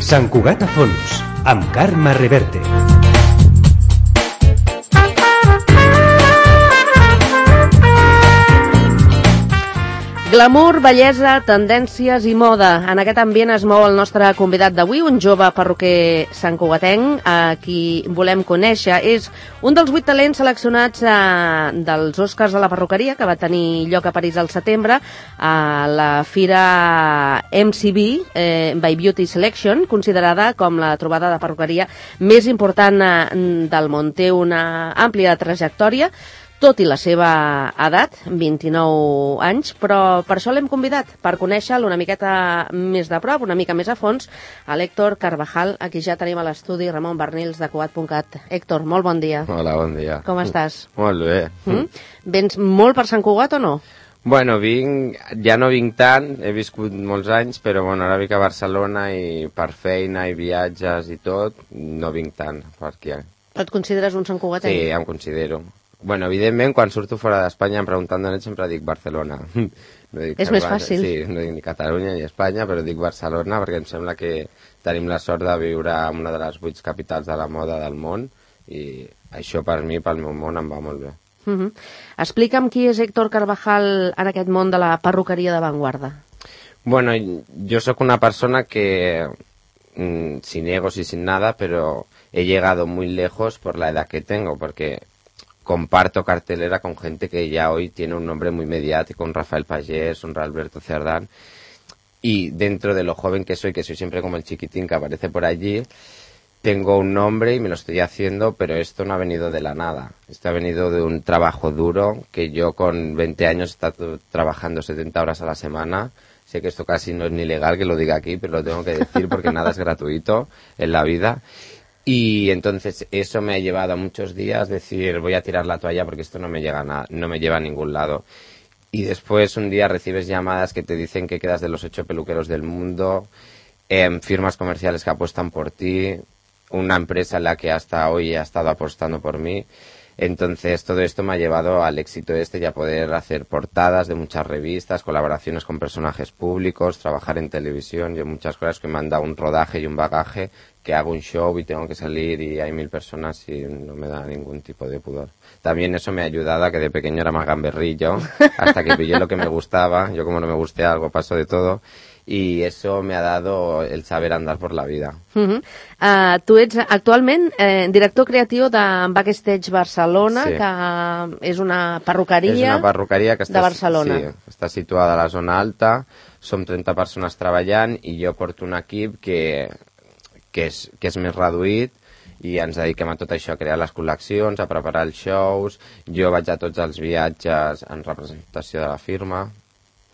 Sant Cugat a fons, amb Carme Reverte. Glamour, bellesa, tendències i moda. En aquest ambient es mou el nostre convidat d'avui, un jove perruquer santcugatenc, a qui volem conèixer. És un dels 8 talents seleccionats dels Oscars de la perruqueria, que va tenir lloc a París al setembre, a la fira MCB by Beauty Selection, considerada com la trobada de perruqueria més important del món. Té una àmplia trajectòria, tot i la seva edat, 29 anys, però per això l'hem convidat, per conèixer-lo una miqueta més de prop, una mica més a fons, a l'Héctor Carvajal, a qui ja tenim a l'estudi, Ramon Barnils, de Cugat.cat. Héctor, molt bon dia. Hola, bon dia. Com estàs? Molt bé. Vens molt per Sant Cugat o no? Bueno, ja no vinc tant, he viscut molts anys, però bueno, ara vinc a Barcelona i per feina i viatges i tot, no vinc tant per aquí. Et consideres un santcugatenc? Sí, em considero. Bueno, evidentment, quan surto fora d'Espanya em pregunten d'on ets, sempre dic Barcelona. No dic és més fàcil. Sí, no dic ni Catalunya ni Espanya, però dic Barcelona perquè em sembla que tenim la sort de viure en una de les 8 capitals de la moda del món i això per mi, pel meu món, em va molt bé. Explica'm qui és Héctor Carvajal en aquest món de la perruqueria d'avantguarda. Bueno, yo soy una persona que, sin egos y sin nada, pero he llegado muy lejos por la edad que tengo, porque comparto cartelera con gente que ya hoy tiene un nombre muy mediático, un Rafael Pagés, un Alberto Cerdán, y dentro de lo joven que soy siempre como el chiquitín que aparece por allí, tengo un nombre y me lo estoy haciendo, pero esto no ha venido de la nada. Esto ha venido de un trabajo duro, que yo con 20 años he estado trabajando 70 horas a la semana. Sé que esto casi no es ni legal que lo diga aquí, pero lo tengo que decir porque nada es gratuito en la vida. Y entonces eso me ha llevado a muchos días decir, voy a tirar la toalla porque esto no me lleva a ningún lado. Y después un día recibes llamadas que te dicen que quedas de los 8 peluqueros del mundo, firmas comerciales que apuestan por ti, una empresa en la que hasta hoy ha estado apostando por mí. Entonces todo esto me ha llevado al éxito y a poder hacer portadas de muchas revistas, colaboraciones con personajes públicos, trabajar en televisión y muchas cosas que me han dado un rodaje y un bagaje, que hago un show y tengo que salir y hay 1000 personas y no me da ningún tipo de pudor. También eso me ha ayudado a que de pequeño era más gamberrillo, hasta que pillé lo que me gustaba. Yo como no me guste algo paso de todo. Y eso me ha dado el saber andar por la vida. Tu ets actualment director creatiu de Backstage Barcelona, sí, que és una perruqueria, és una perruqueria que de Barcelona. Sí, està situada a la zona alta, som 30 persones treballant i jo porto un equip que és més reduït i ens dediquem a tot això, a crear les col·leccions, a preparar els shows. Jo vaig a tots els viatges en representació de la firma.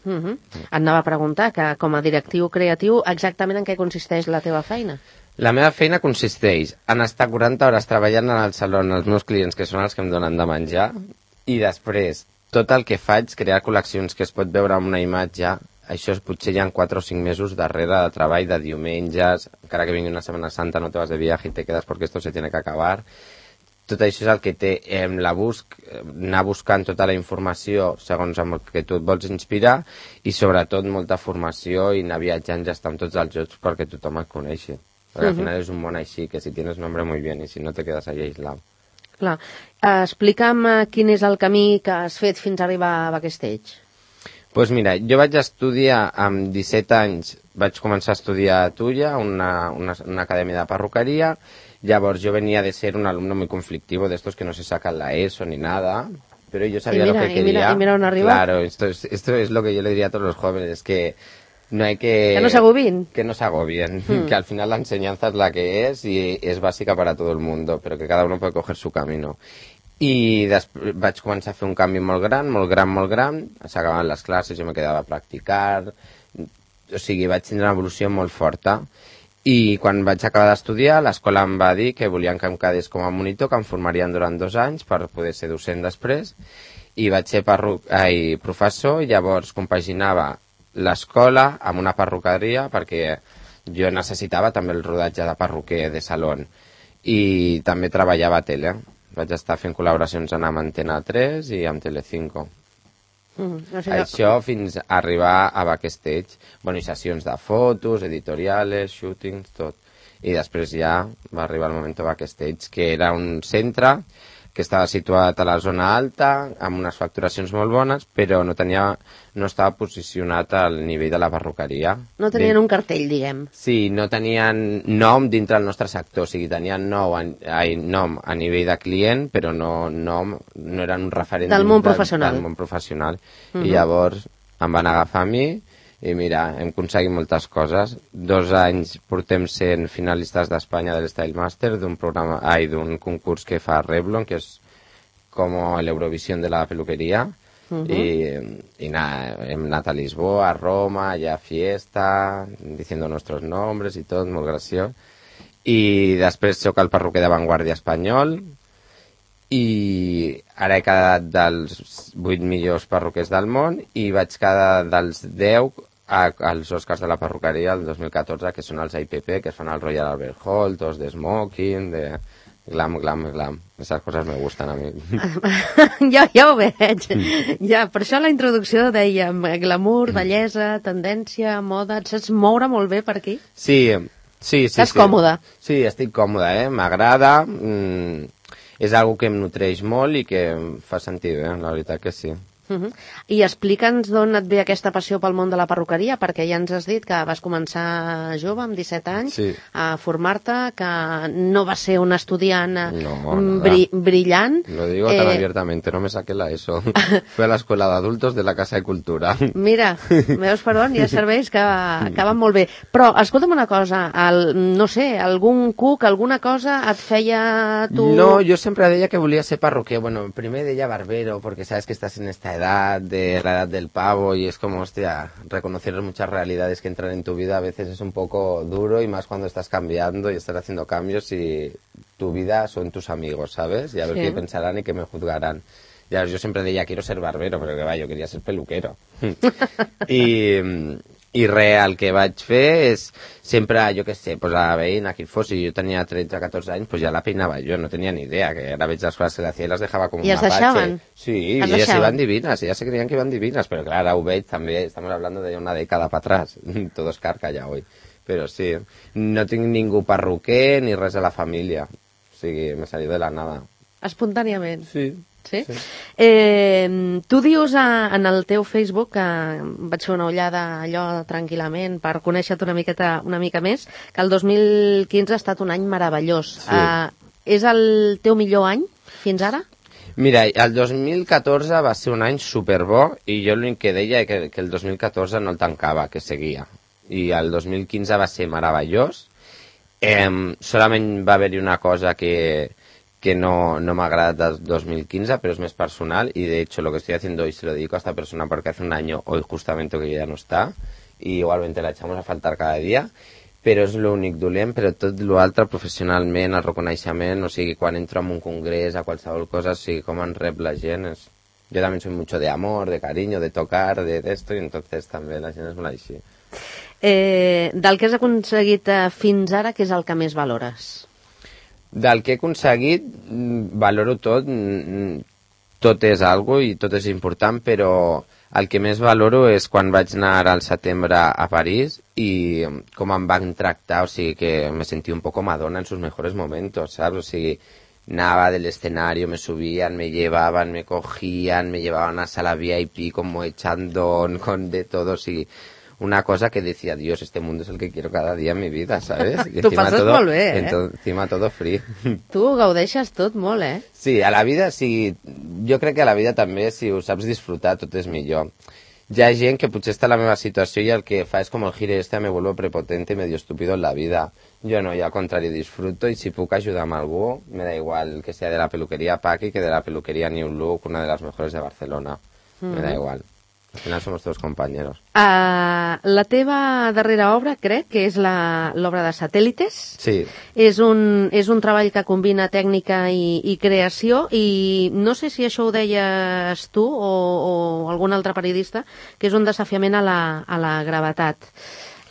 Et anava a preguntar que com a directiu creatiu exactament en què consisteix la teva feina? La meva feina consisteix en estar 40 hores treballant en el saló amb els meus clients, que són els que em donen de menjar, i després tot el que faig, crear col·leccions que es pot veure en una imatge. Això potser hi ha 4 o 5 mesos darrere de treball, de diumenges, encara que vingui una Setmana Santa no te vas de viaje i te quedes perquè esto se tiene que acabar. Tot això és el que té anar buscant tota la informació segons el que tu et vols inspirar i sobretot molta formació i anar viatjant ja està amb tots els jocs perquè tothom et coneixi. Perquè al final és un món així, que si tienes nombre muy bien i si no te quedas ahí aislado. Clar. Explica'm quin és el camí que has fet fins a arribar a Backstage. Pues mira, jo vaig estudiar amb 17 anys, vaig començar a estudiar a Tulla, una acadèmia de perruqueria. Llavors yo venía de ser un alumno muy conflictivo, de estos que no se sacan la ESO ni nada, pero yo sabía lo que quería. Y mira dónde arriba. Claro, esto es lo que yo le diría a todos los jóvenes, que no hay que... Que no se agobien. Que no se agobien, que al final la enseñanza es la que es y es básica para todo el mundo, pero que cada uno puede coger su camino. I vaig començar a fer un canvi molt gran, s'acabaven les classes, jo me quedava a practicar, o sigui, vaig tindre una evolució molt forta. I quan vaig acabar d'estudiar, l'escola em va dir que volien que em quedés com a monitor, que em formarien durant 2 anys per poder ser docent després, i vaig ser professor, i llavors compaginava l'escola amb una perruqueria, perquè jo necessitava també el rodatge de perruquer de saló, i també treballava a tele. Vaig estar fent col·laboracions amb Antena 3 i amb Telecinco. Això fins a arribar a Backstage. Bueno, i sessions de fotos, editorials, shootings, tot. i després ja va arribar el moment Backstage, que era un centre que estava situat a la zona alta, amb unes facturacions molt bones, però no estava posicionat al nivell de la perruqueria. No tenien un cartell, diguem. Sí, no tenien nom dintre del nostre sector, o sigui, tenien nom a nivell de client, però no eren un referent del món professional. Del món professional. I llavors em van agafar a mi, i mira, hem aconseguit moltes coses. 2 anys portem sent finalistes d'Espanya del Style Master, d'un concurs que fa Revlon, que és com l'Eurovisió de la peluqueria. Y nada, hem anat a Lisboa, a Roma, allà a fiesta, diciendo nuestros nombres i tot, molt graciós. I després soc el perruquer d'avantguàrdia espanyol, i ara he quedat dels 8 millors perruquers del món i vaig quedar dels 10 als Oscars de la perruqueria el 2014, que són els IPP, que es fan al Royal Albert Hall, tots de smoking, de glam. Esas coses me gustan a mi. Ja ho veig. Ja, per això la introducció dèiem glamour, bellesa, tendència, moda. Et saps moure molt bé per aquí? Sí. Estàs còmode? Sí, estic còmode, m'agrada. És algo que em nutreix molt i que em fa sentir bé, la veritat que sí. I explica'ns d'on et ve aquesta passió pel món de la perruqueria, perquè ja ens has dit que vas començar jove, amb 17 anys, a formar-te, que no vas ser un estudiant brillant. Lo digo tan abiertamente, no me saqué la ESO. Fui a la escuela de adultos de la Casa de Cultura. Mira, veus per on? Hi ha serveis que van molt bé. Però, escolta'm una cosa, no sé, algun cuc, alguna cosa et feia tu... No, yo siempre deia que volia ser perruquer. Bueno, primer deia barbero, porque sabes que estás en esta edad, de la edad del pavo, y es como, hostia, reconocer muchas realidades que entran en tu vida a veces es un poco duro, y más cuando estás cambiando y estás haciendo cambios y tu vida son tus amigos, ¿sabes? Y a ver qué pensarán y qué me juzgarán. Ya, yo siempre decía, quiero ser barbero, pero que va, yo quería ser peluquero. I res, el que vaig fer és sempre, jo què sé, pues a veïna, qui fos, si jo tenia 13-14 anys, pues ja la peinava jo, no tenia ni idea, que ara veig les coses que l'hacía i les dejava com un mapache. I es deixaven? Sí, i elles iban divinas, ellas se creían que iban divinas, pero claro, ara ho veig també, estamos hablando de una década para atrás, todo es carca ja hoy. Però sí, no tinc ningú perruquer ni res a la família, o sigui, m'he salit de la nada. Espontàniament? Sí. Sí? Tu dius en el teu Facebook, que vaig fer una ullada allò tranquil·lament per conèixer-te una mica més, que el 2015 ha estat un any meravellós. Sí. És el teu millor any fins ara? Mira, el 2014 va ser un any superbo i jo l'únic que deia que el 2014 no el tancava, que seguia. I el 2015 va ser meravellós. Solament va haver-hi una cosa que no me agrada del 2015, pero es más personal, y de hecho lo que estoy haciendo hoy se lo dedico a esta persona porque hace un año hoy justamente que ya no está, y igualmente la echamos a faltar cada dia, però és l'únic dolent, però tot l'altre professionalment, el reconeixement, o sigui, quan entro en un congrés, a qualsevol cosa, o sigui, com en rep la gent, yo también soy mucho de amor, de cariño, de tocar, de esto, y entonces també la gent és molt així. Del que has aconseguit fins ara, què és el que més valores? Del que he aconseguit, valoro tot, tot és algo i tot és important, però el que més valoro és quan vaig anar al setembre a París i com em van tractar, o sigui que me sentí un poco Madonna en sus mejores momentos, ¿sabes? O sigui, anava del escenario, me subían, me llevaban, me cogían, me llevaban a sala VIP como echando con de todo, o sigui, una cosa que decía, Dios, este mundo es el que quiero cada día en mi vida, ¿sabes? Tu passes molt bé, Encima todo free. Tu gaudeixes tot molt, Sí, a la vida, sí, jo crec que a la vida també, si ho saps disfrutar, tot és millor. Hi ha gent que potser està en la meva situació i el que fa és com el gire me vuelvo prepotente y medio estúpido en la vida. Jo no, yo al contrario disfruto y si puc ajudar a algú, me da igual que sea de la peluquería Paqui que de la peluquería New Look, una de las mejores de Barcelona. Me da igual. Al final somos todos compañeros. La teva darrera obra, crec, que és l'obra de Satélites. Sí. És un treball que combina tècnica i creació, i no sé si això ho deies tu o algun altre periodista, que és un desafiament a la gravetat.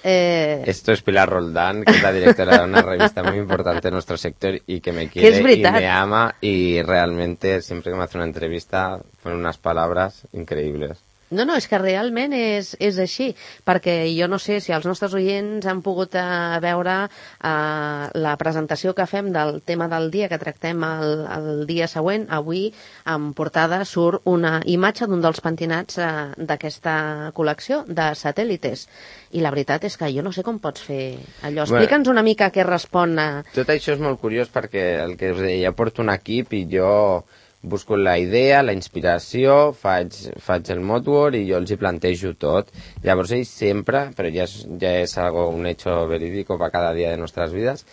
Esto es Pilar Roldán, que es la directora de una revista muy importante en nuestro sector y que me quiere y me ama, y realmente siempre que me hace una entrevista ponen unas palabras increíbles. No, és que realment és així, perquè jo no sé si els nostres oients han pogut veure la presentació que fem del tema del dia, que tractem el dia següent. Avui, en portada, surt una imatge d'un dels pentinats d'aquesta col·lecció de Satélites. I la veritat és que jo no sé com pots fer allò. Explica'ns una mica què respon a... Tot això és molt curiós perquè el que us deia, jo porto un equip i jo busco la idea, la inspiració, faig el moodboard i jo els hi plantejo tot. Llavors ells sempre, però ja és algo, un hecho verídico para cada día de nuestras vidas,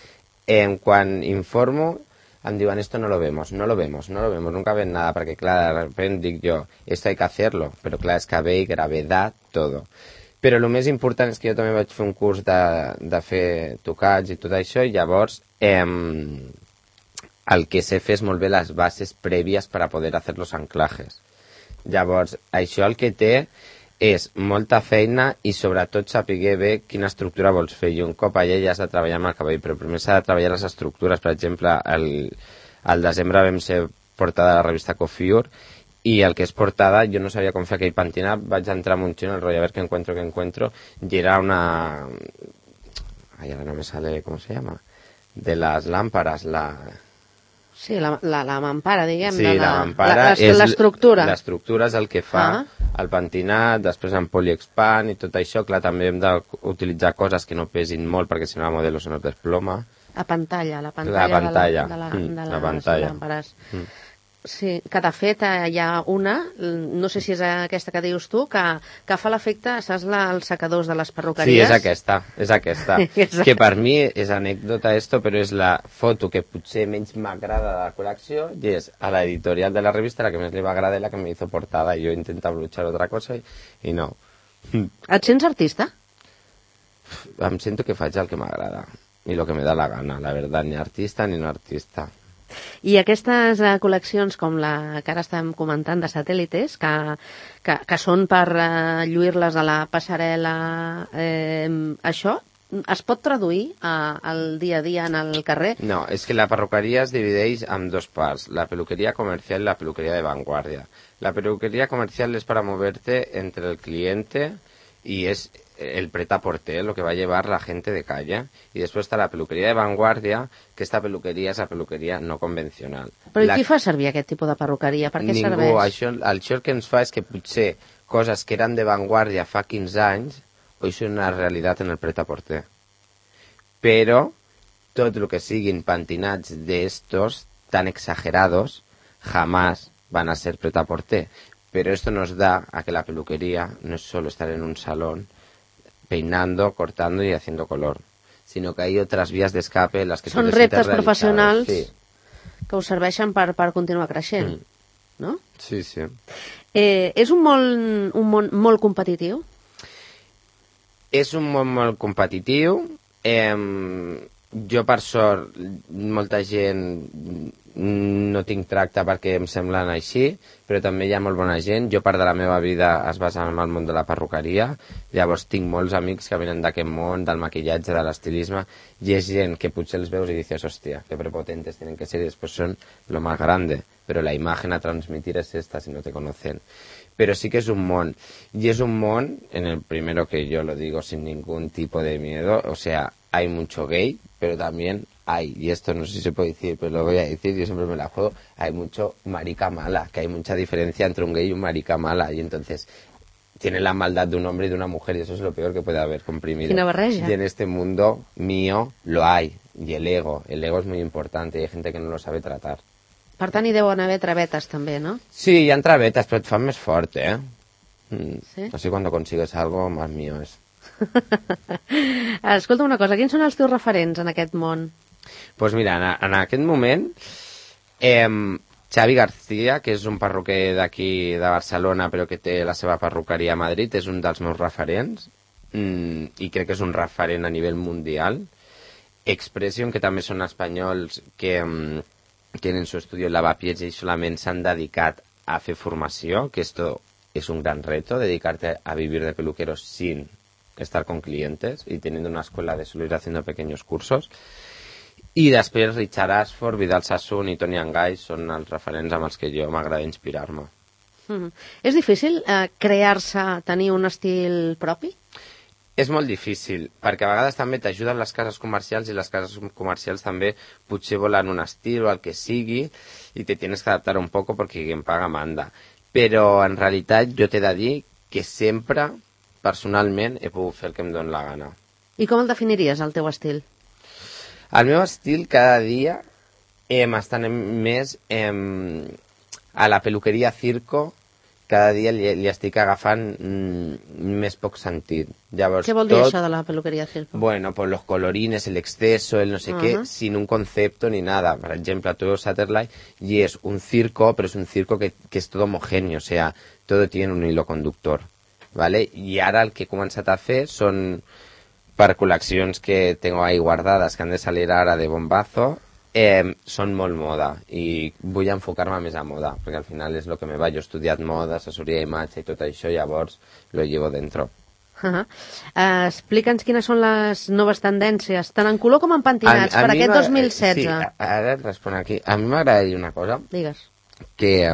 quan informo em diuen esto no lo vemos, nunca ven nada, perquè clar, de repente dic jo, esto hay que hacerlo, però clar, és que ve i gravedad, todo. Però el més important és que jo també vaig fer un curs de fer tocats i tot això, i llavors el que sé fer és molt bé les bases prèvies per a poder fer los anclajes. Llavors, això el que té és molta feina i sobretot saber bé quina estructura vols fer. I un cop allà ja has de treballar amb el cabell, però primer s'ha de treballar les estructures. Per exemple, al desembre vam ser portada de la revista Coiffure i el que és portada, jo no sabia com fer aquell pentinat, vaig entrar amb un xino, el rotllo, a ver qué encuentro, y era una... Ay, ahora no me sale, ¿cómo se llama? De las lámparas, Sí, la mampara, diguem. Sí, la mampara és l'estructura. L'estructura és el que fa el pentinat, després en poliexpand i tot això. Clar, també hem d'utilitzar coses que no pesin molt perquè si no la modelo se nos desploma. La pantalla de les làmperes. Sí, que de fet hi ha una, no sé si és aquesta que dius tu, que fa l'efecte, saps, els secadors de les perruqueries? Sí, és aquesta. Que per mi és anècdota esto, però és la foto que potser menys m'agrada de la col·lecció i és a l'editorial de la revista la que més li va agradar i la que me hizo portada i jo intento luchar otra cosa i no. Et sents artista? Em sento que faig el que m'agrada i el que me da la gana, la verdad, ni artista ni no artista. I aquestes col·leccions com la que ara estem comentant de Satélites, que són per lluir-les a la passarel·la, això es pot traduir al dia a dia en el carrer? No, és que la perruqueria es divideix en dos parts, la peluquería comercial i la peluquería de vanguardia. La peluquería comercial es para moverte entre el cliente y es el prêt-à-porter, lo que va a llevar la gente de calle. Y después está la peluquería de vanguardia, que esta peluqueria és la peluqueria no convencional. Però qui fa servir aquest tipus de perruqueria? Per què serveix? Ningú. Això el que ens fa és que potser coses que eren de vanguardia fa 15 anys, hoy són una realitat en el prêt-à-porter. Però tot el que siguin pentinats d'estos tan exagerados jamás van a ser prêt-à-porter. Pero esto nos da a que la peluquería no es solo estar en un salón peinando, cortando y haciendo color, sino que hay otras vías de escape en las que són reptes professionals que us serveixen per continuar creixent, no? Sí, sí. És un món molt competitiu? És un món molt competitiu. Jo, per sort, molta gent no tinc tracte perquè em semblen així, però també hi ha molt bona gent. Jo part de la meva vida es basa en el món de la perruqueria, llavors tinc molts amics que venen d'aquest món, del maquillatge, de l'estilisme, i és gent que potser els veus i dices, hòstia, que prepotentes tienen que ser, y después son lo más grande, pero la imagen a transmitir es esta si no te conocen. Pero sí que es un món, y es un món, en el primero que yo lo digo sin ningún tipo de miedo, o sea, hay mucho gay, pero también hay, y esto no sé si se puede decir, pero lo voy a decir, yo siempre me la juego, hay mucho marica mala, que hay mucha diferencia entre un gay y un marica mala, y entonces tiene la maldad de un hombre y de una mujer, y eso es lo peor que puede haber comprimido. Quina barreja. Y en este mundo mío lo hay, y el ego es muy importante, y hay gente que no lo sabe tratar. Per tant, hi deuen haver travetes també, no? Sí, hi ha travetes, però et fan més fort, Sí? Así cuando consigues algo, más mío es. Escolta una cosa, quins són els teus referents en aquest món? Pues mira, en aquest moment, Xavi García, que és un perruquer d'aquí de Barcelona, però que té la seva perruqueria a Madrid, és un dels meus referents, i crec que és un referent a nivell mundial. Expression, que també són espanyols, que tienen su estudio en Lavapiés y solamente se han dedicado a hacer formación, que esto es un gran reto, dedicarte a vivir de peluquero sin estar con clientes y teniendo una escuela de solo ir haciendo pequeños cursos. I després Richard Ashford, Vidal Sassoon i Toni Angay són els referents amb els que jo m'agrada inspirar-me. És difícil crear-se, tenir un estil propi? És molt difícil, perquè a vegades també t'ajuden les cases comercials i les cases comercials també potser volen un estil o el que sigui i te tienes que adaptar un poco porque quien paga manda. Però en realitat jo t'he de dir que sempre, personalment, he pogut fer el que em dóna la gana. I com el definiries, el teu estil? El meu estil cada dia està més a la peluqueria circo. Cada dia li estic agafant més poc sentit. Llavors, què vol dir això de la peluqueria circo? Bueno, pues los colorines, el exceso, el no sé qué, sin un concepto ni nada. Por ejemplo, tu veus Saturday y es un circo, pero es un circo que es todo homogéneo, o sea, todo tiene un hilo conductor, ¿vale? Y ara el que he començat a fer són per col·leccions que tengo ahí guardadas, que han de salir ara de bombazo, són molt moda i vull enfocar-me més a moda perquè al final és el que me va. Jo he estudiat moda, assessoria d'imatge i tot això, llavors lo llevo dentro. Explica'ns quines són les noves tendències, tant en color com en pentinats, per aquest 2016. Sí, ara et responc aquí. A mi m'agrada dir una cosa. Digues. Que,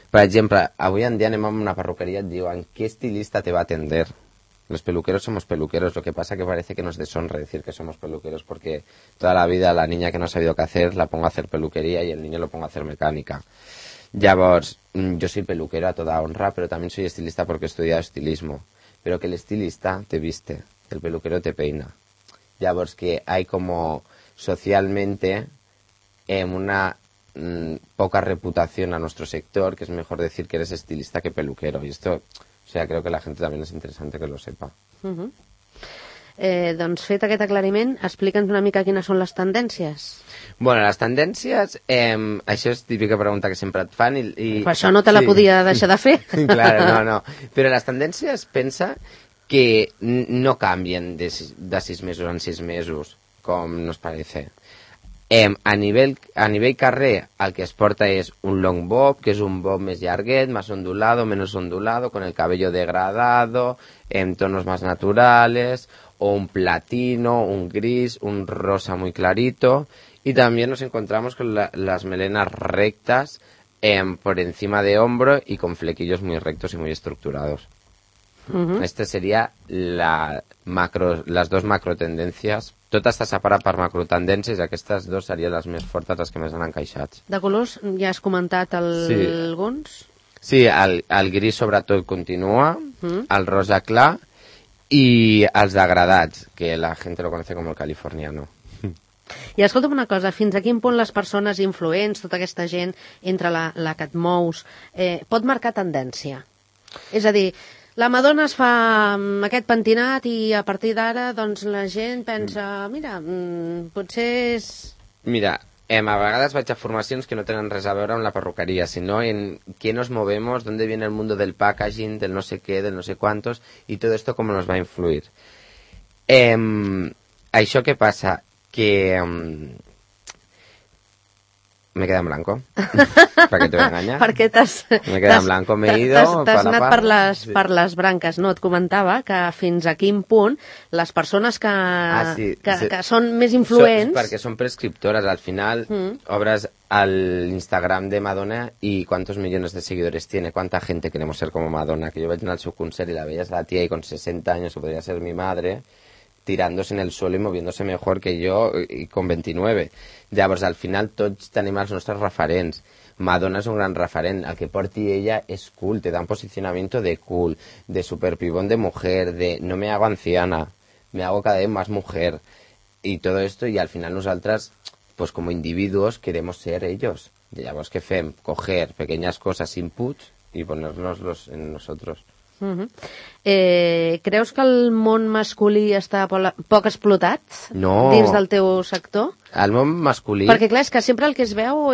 per exemple, avui en dia anem a una perruqueria i et diuen ¿qué estilista te va a atender? Los peluqueros somos peluqueros, lo que pasa que parece que nos deshonra decir que somos peluqueros porque toda la vida la niña que no ha sabido qué hacer la pongo a hacer peluquería y el niño lo pongo a hacer mecánica. Llavors, yo soy peluquero a toda honra, pero también soy estilista porque he estudiado estilismo. Pero que el estilista te viste, el peluquero te peina. Llavors que hay como socialmente una poca reputación a nuestro sector, que es mejor decir que eres estilista que peluquero. Y esto... O sea, creo que la gente también es interesante que lo sepa. Doncs fet aquest aclariment, explica'ns una mica quines són les tendències. Bueno, les tendències, això és típica pregunta que sempre et fan i per això no te la podia deixar de fer. Claro, no. Però les tendències, pensa que no canvien de 6 mesos en 6 mesos, com nos parece. A nivell carrer el que es porta és un long bob, que és un bob més llarguet, más ondulado, menos ondulado, con el cabello degradado, en tonos más naturales, o un platino, un gris, un rosa muy clarito. Y también nos encontramos con las melenas rectas por encima de hombro y con flequillos muy rectos y muy estructurados. Este sería las dos macro tendencias. Tot està separat per macrotendències i aquestes dues serien les més fortes, les que més han encaixat. De colors, ja has comentat alguns? Sí, el gris sobretot continua, el rosa clar i els degradats, que la gent lo conoce com el californiano. I escolta'm una cosa, fins a quin punt les persones influents, tota aquesta gent entre la que et mous, pot marcar tendència? És a dir, la Madonna es fa aquest pentinat i a partir d'ara doncs, la gent pensa, mira, potser és... Mira, a vegades vaig a formacions que no tenen res a veure amb la perruqueria, sinó en què nos movemos, dónde viene el mundo del packaging, del no sé qué, del no sé cuántos, y todo esto cómo nos va a influir. Això què passa? Que... Me queda en blanco. ¿Para qué te voy a engañar? Perquè me queda en blanco, me he ido... T'has anat per les branques, no? Et comentava que fins a quin punt les persones que són més influents... Perquè són prescriptores. Al final, obres l'Instagram de Madonna y cuántos millones de seguidores tiene, cuánta gente queremos ser como Madonna. Que yo vaig anar al seu concert y la veías a la tía y con 60 años, que podría ser mi madre... tirándose en el suelo y moviéndose mejor que yo y con 29. Llavors, al final, tots tenim els nostres referents. Madonna és un gran referent. El que porti ella és cool, te da un posicionamiento de cool, de superpibón de mujer, de no me hago anciana, me hago cada vez más mujer. Y todo esto, y al final nosaltres, pues como individuos, queremos ser ellos. Y llavors, què fem? Coger pequeñas cosas, inputs, y ponernoslos en nosotros. Creus que el món masculí està poc explotat dins del teu sector? El món masculí... Perquè clar, és que sempre el que es veu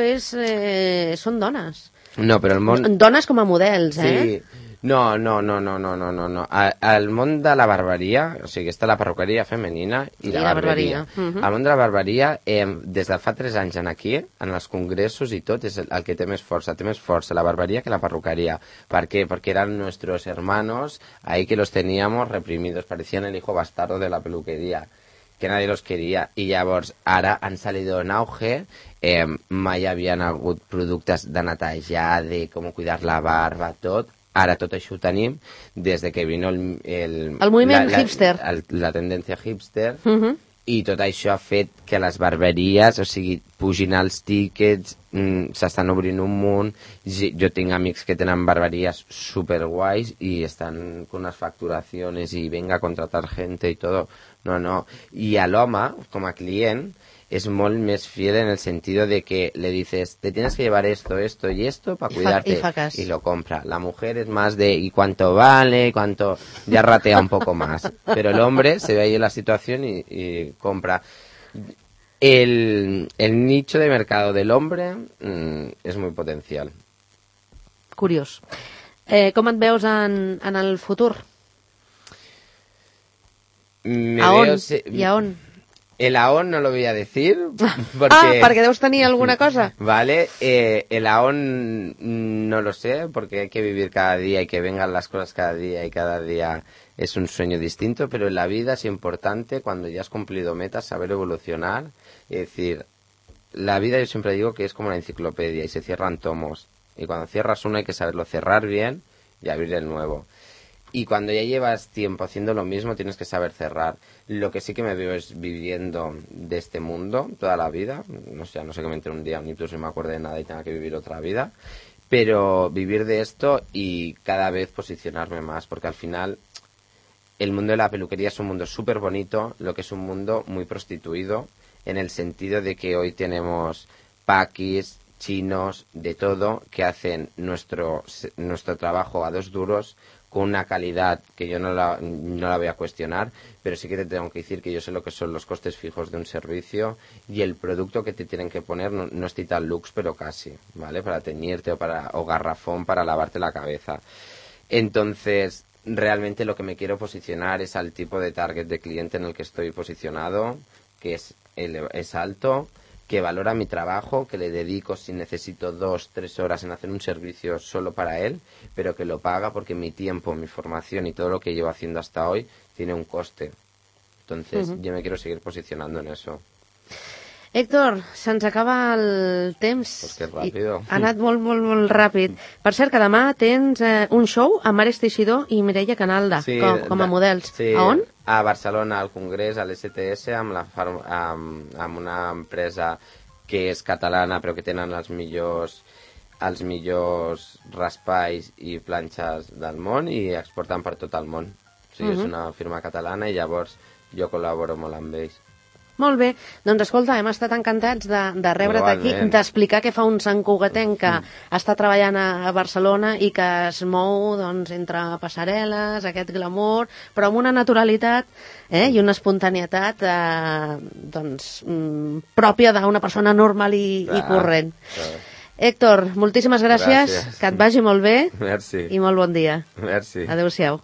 són dones. No, però el món... Dones com a models, Sí. No. El món de la barberia, o sigui, està la perruqueria femenina i la barberia. El món de la barberia, des de fa 3 anys aquí, en els congressos i tot, és el que té més força la barberia que la perruqueria. ¿Por qué? Porque eran nuestros hermanos ahí que los teníamos reprimidos, parecían el hijo bastardo de la peluquería, que nadie los quería. Y llavors, ara han salido en auge mai havien hagut productes de netejar, de com cuidar la barba, tot. Ara tot això ho tenim des de que vino el moviment hipster. La tendència hipster, i tot això ha fet que les barberies, o sigui, pugin els tíquets, s'estan obrint un munt. Jo tinc amics que tenen barberies superguais i estan con unas facturaciones y venga a contratar gente y todo. No. Y al l'home, com a client, es molt més fiel en el sentido de que le dices, te tienes que llevar esto y esto para cuidarte, y lo compra. La mujer es más de, ¿y cuánto vale? ¿Cuánto? Ya ratea un poco más. Pero el hombre se ve ahí en la situación y compra. El nicho de mercado del hombre es muy potencial. Curiós. Com et veus en el futur? ¿A on? El aón no lo voy a decir porque... porque deus tenir alguna cosa. Vale, el aón no lo sé porque hay que vivir cada día y que vengan las cosas cada día y cada día es un sueño distinto, pero en la vida es importante cuando ya has cumplido metas saber evolucionar. Es decir, la vida yo siempre digo que es como una enciclopedia y se cierran tomos y cuando cierras uno hay que saberlo cerrar bien y abrir el nuevo. Y cuando ya llevas tiempo haciendo lo mismo, tienes que saber cerrar. Lo que sí que me veo es viviendo de este mundo toda la vida. No sé que me entre un día un ictus y me acuerde de nada y tenga que vivir otra vida. Pero vivir de esto y cada vez posicionarme más. Porque al final, el mundo de la peluquería es un mundo súper bonito, lo que es un mundo muy prostituido, en el sentido de que hoy tenemos paquis, chinos, de todo, que hacen nuestro trabajo a 2 duros, con una calidad que yo no la voy a cuestionar, pero sí que te tengo que decir que yo sé lo que son los costes fijos de un servicio y el producto que te tienen que poner no es Titan Lux, pero casi, ¿vale? Para teñirte o garrafón para lavarte la cabeza. Entonces, realmente lo que me quiero posicionar es al tipo de target de cliente en el que estoy posicionado, que es alto, que valora mi trabajo, que le dedico si necesito 2-3 horas en hacer un servicio solo para él, pero que lo paga porque mi tiempo, mi formación y todo lo que llevo haciendo hasta hoy tiene un coste. Entonces, yo me quiero seguir posicionando en eso. Héctor, se'ns acaba el temps. Pues que ràpido. Ha anat molt ràpid. Per cert, que demà tens un show amb Ares Teixidor i Mireia Canalda, sí, com a models. Sí, a on? A Barcelona, al Congrés, a l'STS, amb una empresa que és catalana però que tenen els millors raspalls i planxes del món i exporten per tot el món. O sigui, és una firma catalana i llavors jo col·laboro molt amb ells. Molt bé, doncs escolta, hem estat encantats de rebre't aquí, d'explicar què fa un santcugatenc que està treballant a Barcelona i que es mou doncs, entre passarel·les, aquest glamour, però amb una naturalitat i una espontaneïtat pròpia d'una persona normal i corrent. Héctor, moltíssimes gràcies, que et vagi molt bé. Merci. I molt bon dia. Merci. Adéu-siau.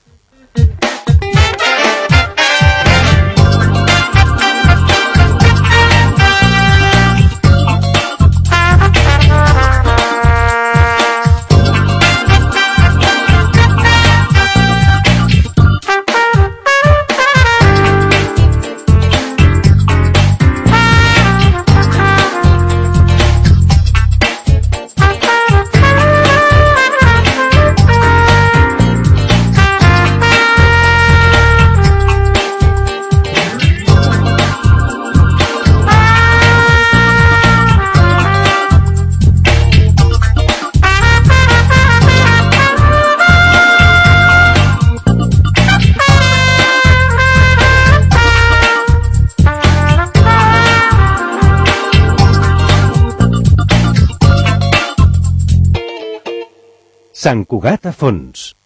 Sant Cugat a fons.